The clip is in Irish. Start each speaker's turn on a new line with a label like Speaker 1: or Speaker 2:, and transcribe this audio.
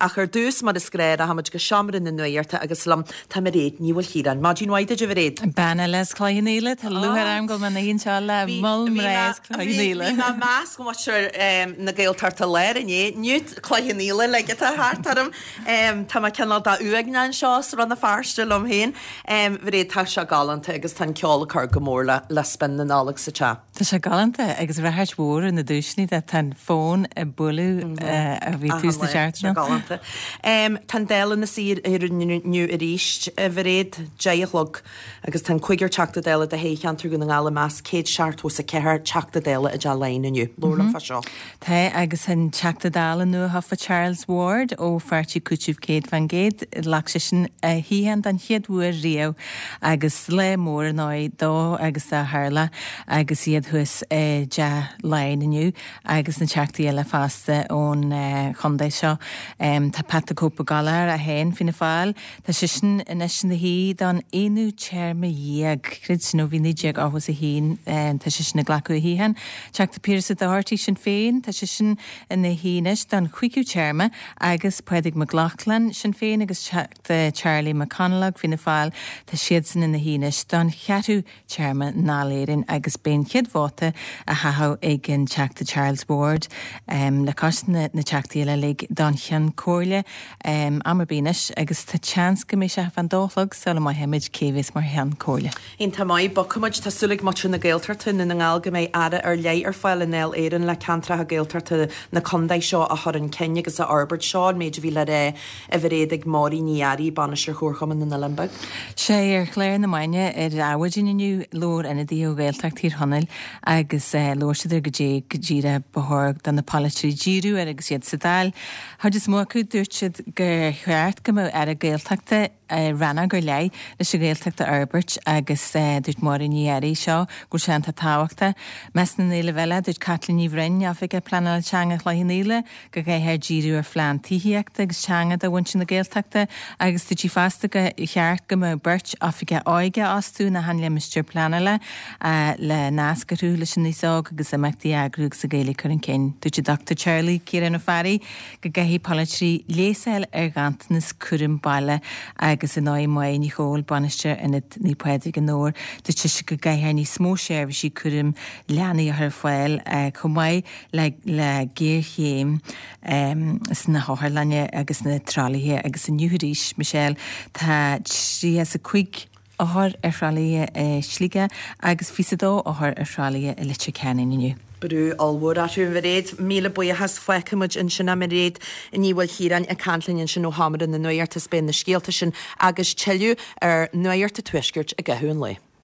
Speaker 1: Ach ar dtús, mar is gnáth, rachaimid go seomra na nuachta agus liom tá Mairéad Ní Mhaoilchiaráin. Maidin mhaith duit, a Mhairéad.
Speaker 2: Bean eile as Cloich Cheann Fhaola, tá lúcháir orm go bhfuil mé ina shuí anseo le moll mná as Cloich Cheann Fhaola.
Speaker 1: Bhí mé i measc mhuintir na Gaeltachta Láir inné, inniu Cloich Cheann Fhaola uilig atá thart orm. Tá mé cineál de uaigneach anseo as Rann na Feirste liom féin. A Mhairéad, tá sé galánta agus tá an ceol ag cur go mór le spion na Nollag sa teach.
Speaker 2: Tá sé galánta agus ráchairt mhór ar na duaiseanna de. Tá an fón ag bualadh a bhí tús na seachtaine.
Speaker 1: Tá sé galánta. Tá an Dáil ina suí inniu arís, a Mhairéad, 10 a chlog agus tá an cúigear Teachta Dála de thoghcheantar Dhún na nGall i measc 174 Teachta Dála i dTeach Laighean inniu. Labhair liom fá seo.
Speaker 2: Tá, agus an Teachta Dála nuathofa Charles Ward ó Pháirtí Cúitimh 100%, ghlac seisean a shuíochán don chéad uair riamh agus lá mór ar ndóigh dó agus dá theaghlach agus iad thuas i dTeach Laighean inniu agus na Teachtaí eile fosta ón chontae seo. Tá Pat the Cope Gallagher é féin, Fianna Fáil, Tá seisean anois ina shuí don aonú téarma dhéag, creid sin, ó bhí 1981, tá seisean ag glacadh a shuíocháin. Teachta Pearse Doherty, Sinn Féin, tá seisean ina shuí anois don chúigiú téarma agus Pádraig Mac Lochlainn, Sinn Féin, agus Teachta Charlie McConalogue, Fianna Fáil, tá siadsan ina shuí anois don cheathrú téarma i nDáil Éireann agus beidh an chéad vóta á chaitheamh ag an Teachta Charles Ward le cois na Teachtaí eile uilig don Cheann Comhairle am ar bith anois agus tá seans go mbeidh sé fán dó a chlog sula maífimid cé a bheas mar Cheann Comhairle.
Speaker 1: Iontach maith, bogfaimid. Tá súil ag muintir na Gaeltachta i nDún na nGall go mbeidh Aire ar leith ar fáil i nDáil Éireann le ceantracha Gaeltachta na contae seo a chur chun cinn agus a fhorbairt. Seo an méid a bhí le rá a Mhairéad ag Máirín Ní Fhearraigh, Bainisteoir Chomharchumann na nOileán Beag.
Speaker 2: Sea, ar chlár na maidine ar Adhmhaidin inniu, labhair ionadaithe ó Ghaeltacht Thír Chonaill agus labhair siad ar goidé go díreach ba chóir do na polaiteoirí díriú air agus iad sa Dáil. Chuid is mó acu, dúirt siad gur cheart go mbeadh Aire Gaeltachta, rannóg ar leith leis an Ghaeltacht a fhorbairt agus dúirt Máirín Ní Fhearraigh seo go bhfuil sé iontach tábhachtach. I measc na n-éileamh eile, dúirt Caitlín Ní Bhroin, Oifigeach Pleanála Teanga Chloich Cheann Fhaola, go gcaithfear díriú ar phlean tithíochta agus teanga do mhuintir na Gaeltachta agus dúirt sí fosta gur cheart go mbeadh beirt oifigeach óige á fhostú in achan limistéar pleanála le nasc a chruthú leis an aos óg agus imeachtaí a eagrú agus an Ghaeilge a chur chun cinn. Dúirt an Dr Charlie Ciarán Ó Fearraigh go gcaithfidh polaiteoirí leigheas a fháil ar ghanntanas cúram baile agus ar ndóigh Máire Ní Chomhaill, Bainisteoir Ionad Naomh Pádraig i nDobhar, dúirt sise go gcaithfear níos mó seirbhísí cúraim leanaí a chur ar fáil chomh maith le le géarchéim sna hotharlanna agus na tralaithe agus inniu arís, Michelle, tá 35 othar ar thralaithe i Sligeach agus 22 othar ar thralaithe i Leitir Ceanainn inniu.
Speaker 1: Brú ollmhór orthu, a Mhairéad. Míle buíochas. Fágfaidh muid ansin é, Mairéad Ní Mhaoilchiaráin ag caint linn ansin ó Sheomra na Nuachta is beidh na scéalta sin agus tuilleadh ar Nuacht an Tuaiscirt i gcaitheamh an lae.